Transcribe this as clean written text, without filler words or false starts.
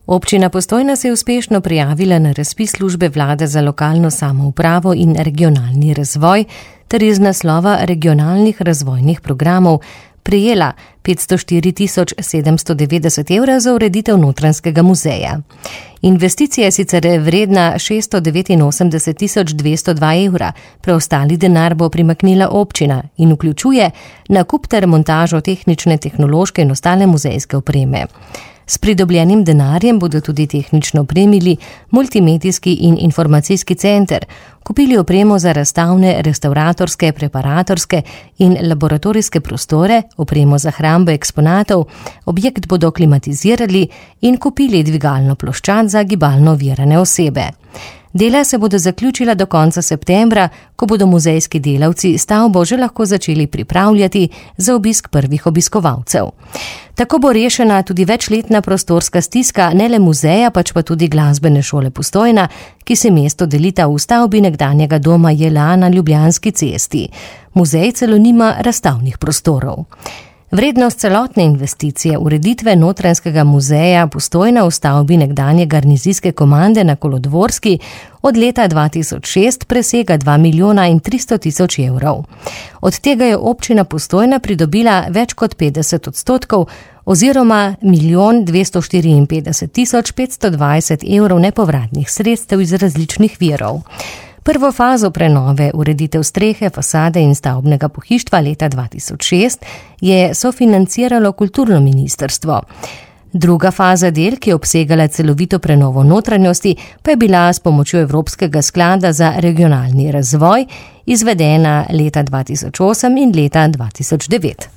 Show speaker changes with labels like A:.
A: Občina Postojna se je uspešno prijavila na razpis službe vlade za lokalno samoupravo in regionalni razvoj ter iz naslova regionalnih razvojnih programov prejela 504.790 evra za ureditev Notranjskega muzeja. Investicija je sicer vredna 689.202 evra, preostali denar bo primaknila občina in vključuje nakup ter montažo tehnične, tehnološke in ostale muzejske opreme. S pridobljenim denarjem bodo tudi tehnično opremili multimedijski in informacijski center, kupili opremo za razstavne, restavratorske, preparatorske in laboratorijske prostore, opremo za hrambo eksponatov, objekt bodo klimatizirali in kupili dvigalno ploščad za gibalno ovirane osebe. Dela se bodo zaključila do konca septembra, ko bodo muzejski delavci stavbo že lahko začeli pripravljati za obisk prvih obiskovalcev. Tako bo rešena tudi večletna prostorska stiska ne le muzeja, pač pa tudi glasbene šole Postojna, ki se mesto delita v stavbi nekdanjega doma JLA na Ljubljanski cesti. Muzej celo nima razstavnih prostorov. Vrednost celotne investicije ureditve Notranjskega muzeja Postojna v stavbi nekdanje garnizijske komande na Kolodvorski od leta 2006 presega 2.300.000 evrov. Od tega je občina Postojna pridobila več kot 50% oziroma 1.254.520 evrov nepovratnih sredstev iz različnih virov. Prvo fazo prenove, ureditev strehe, fasade in stavbnega pohištva leta 2006 je sofinanciralo kulturno ministrstvo. Druga faza del, ki je obsegala celovito prenovo notranjosti, pa je bila s pomočjo Evropskega sklada za regionalni razvoj izvedena leta 2008 in leta 2009.